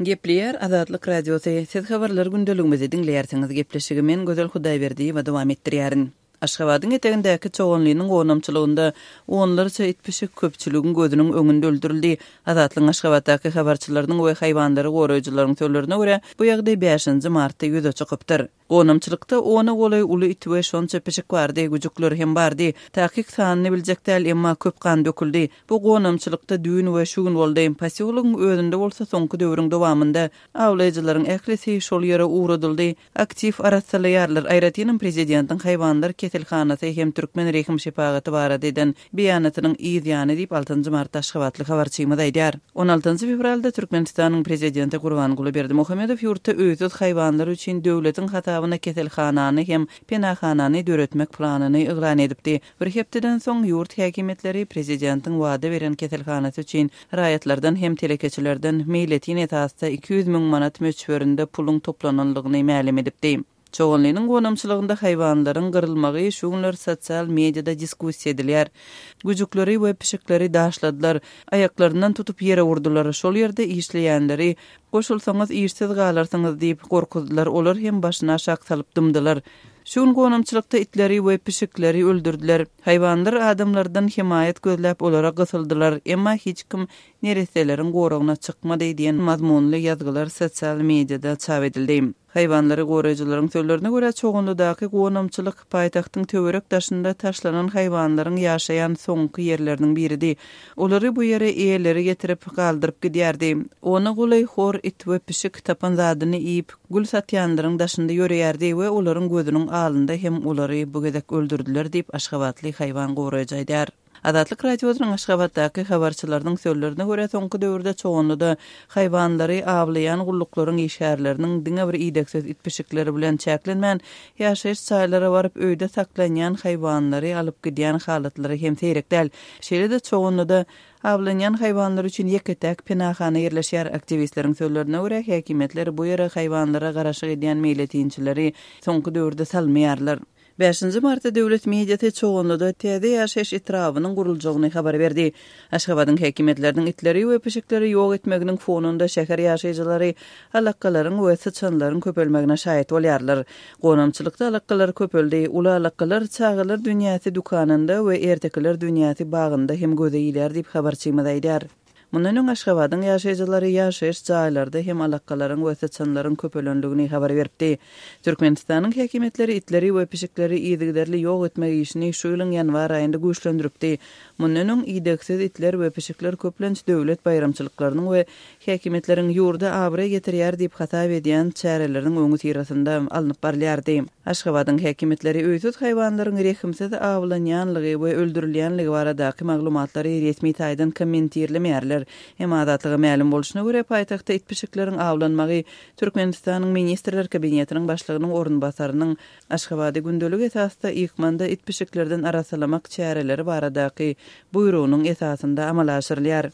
Gepleýär Azatlyk Radiosy, Siz habarlar gündeligimizi diňleýärsiňiz. Gepleşigi men Gözel Hudaýberdiýewa dowam etdirýärin. Aşgabadyň etegindäki Çoganlynyň gonamçylygynda onlarça it-pişik köpçüligiň gözüniň öňünde öldürildi. Azatlygyň Aşgabatdaky habarçylarynyň we haýwanlary goraýjylaryň sözlerine görä, bu ýagdaý bäşinji martda ýüze çykypdyr. Gonamçylykda ona golaý uly it we şonça pişik bardy, güjükler hem bardy. Takyk sanyny biljek däl, emma köp gan döküldi. Bu gonamçylykda düýn we şu gün boldy. Posýologyň özünde bolsa soňky döwrüň dowamynda awlaýjylaryň ählisi şol ýere ugradyldy. Aktiw arassalaýarlar, aýratynam prezidentiň haýwanlar keselhanasy hem türkmen rehim-şepagaty barada eden beýanatynyň yz ýany diýip, altynjy martda aşgabatly habarçymyz aýdýar. On altynjy fewralda Türkmenistanyň prezidenti Gurbanguly Berdimuhamedow ýurtda öýsüz haýwanlar üçin döwletiň hasabyna keselhanany hem penahanany döretmek planyny yglan edipdi. Bir hepdeden soň ýurt häkimiýetleri prezidentiň wada beren keselhanasy üçin raýatlardan hem telekeçilerden meýletin esasda 200 müň manat möçberinde puluň toplananlygyny mälim edipdi. Çoganlynyň gonamçylygynda haýwanlaryň gyrylmagy şu günler sosial mediada diskussiýa edilýär. Güjükleri we pişikleri daşladylar, aýaklaryndan tutup ýere urdular, şol ýerde işleýänleri Goşulsaňyz işsiz galarsyňyz diýip gorkuzdylar, olar hem başyny aşak salyp dymdylar. Şu gün gonamçylykda itleri we pişikleri öldürdiler. Haýwanlar adamlardan hemaýat gözläp olara gysyldylar, emma hiç kim neresseleriň goragyna çykmady diýen mazmunly ýazgylar sosial mediada çap edildi. Haýwanlary goraýjylaryň sözlerine görä, Çoganlydaky gonamçylyk paýtagtyň töwerek-daşynda taşlanan haýwanlaryň ýaşaýan soňky ýerleriniň biridi. Olary bu ýere eýeleri getirip, galdyryp gidýärdi. Ona golaý hor it we pişik tapan zadyny iýip, gül satýanlaryň daşynda ýöreýärdi we olaryň gözüniň alynda hem olary bu gezek öldürdiler diýip, aşgabatly haýwan goraýjy aýdýar. Azatlyk Radiosynyň Aşgabatdaky habarçylarynyň sözlerine görä, soňky döwürde Çoganlyda haýwanlary awlaýan gulluklaryň işgärleriniň diňe bir idegsiz it-pişikleri bilen çäklenmän, ýaşaýyş jaýlara baryp, öýde saklanýan haýwanlary alyp gidýän halatlary hem seýrek däl. Şeýle-de Çoganlyda awlanýan haýwanlar üçin ýeke-täk penahana ýerleşýär. Aktiwistleriň sözlerine görä, häkimiýetler bu ýere haýwanlara garaşyk edýän meýletinçileri soňky döwürde salmaýarlar. Bäşinji martda döwlet mediasy Çoganlyda täze ýaşaýyş etrabynyň guruljagyny habar berdi. Aşgabadyň häkimiýetleriniň itleri we pişikleri ýok etmeginiň fonunda şäher ýaşaýjylary alakgalaryň we syçanlaryň köpelmegine şaýat bolýarlar. Gonamçylykda alakgalar köpeldi. Uly alakgalar Çagalar dünýäsi dükanynda we Ertekiler dünýäsi bagynda hem göze ilýär diýip, habarçymyz aýdýar. Mundan öň Aşgabadyň ýaşaýjylary ýaşaýyş jaýlarda hem alakgalaryň we syçanlaryň köpelendigini habar beripdi. Türkmenistanyň häkimiýetleri itleri we pişikleri yzygiderli ýok etmek işini şu ýylyň ýanwar aýynda güýçlendiripdi. Mundan öň idegsiz itler we pişikler köplenç döwlet baýramçylyklarynyň we häkimiýetleriň ýurda abraý getirýär diýip hasap edýän çäreleriniň öňüsyrasynda alnyp barylýardy. Aşgabadyň häkimiýetleri öýsüz haýwanlaryň rehimsiz awlanýanlygy we öldürilýänligi baradaky maglumatlary resmi taýdan kommentirlemeýärler. Emma Azatlyga mälim bolşuna görä, paýtagtda it-pişikleriň awlanmagy Türkmenistanyň Ministrler Kabinetiniň Başlygynyň orunbasarynyň Aşgabady gündelik esasda ykmanda it-pişiklerden arassalamak çäreleri baradaky buýrugynyň esasynda amala aşyrylýar.